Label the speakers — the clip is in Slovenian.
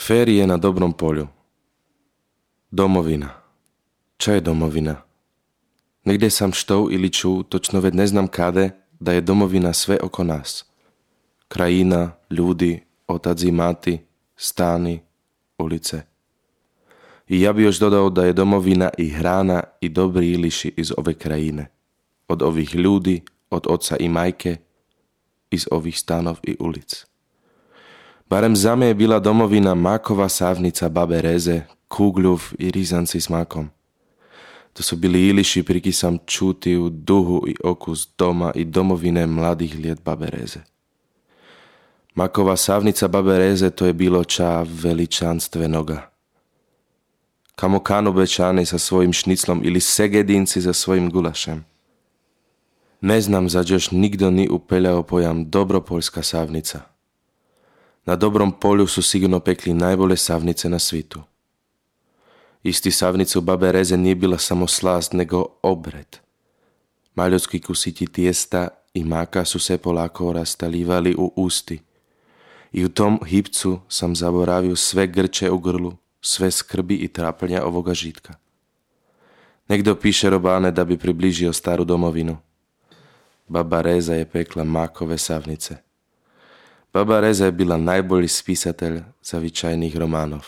Speaker 1: Férie na dobrom poľu. Domovina. Čo je domovina? Negde sam štou ili ču, točno ved ne znam kade, da je domovina sve oko nas. Krajina, ljudi, otac i mati, stani, ulice. I ja bi još dodao da je domovina i hrana i dobri iliši iz ove krajine. Od ovih ljudi, od oca i majke, iz ovih stanov i ulic. Barem za me je bila domovina makova savnica babe Reze, kugľuv i rizanci s makom. To su bili iliši priki sam čuti u duhu i okus doma i domovine mladih lijet babe Reze. Makova savnica babe Reze to je bilo ča veličanstvenoga. Kamo kanu bečani sa svojim šniclom ili segedinci za svojim gulašem. Ne znam zač još nikdo ni upeljao pojam dobropoljska savnica. Na dobrom polju su sigurno pekli najbolje savnice na svitu. Isti savnicu babe Reze nije bila samo slast, nego obred. Maljotski kusiti tijesta i maka su se polako rastalivali u usti. I u tom hipcu sam zaboravio sve grče u grlu, sve skrbi i trapljenja ovoga žitka. Negdje piše robane da bi približio staru domovinu. Baba Reza je pekla makove savnice. Baba Reza je bila najbolji spisatelj zavičajnih romanov.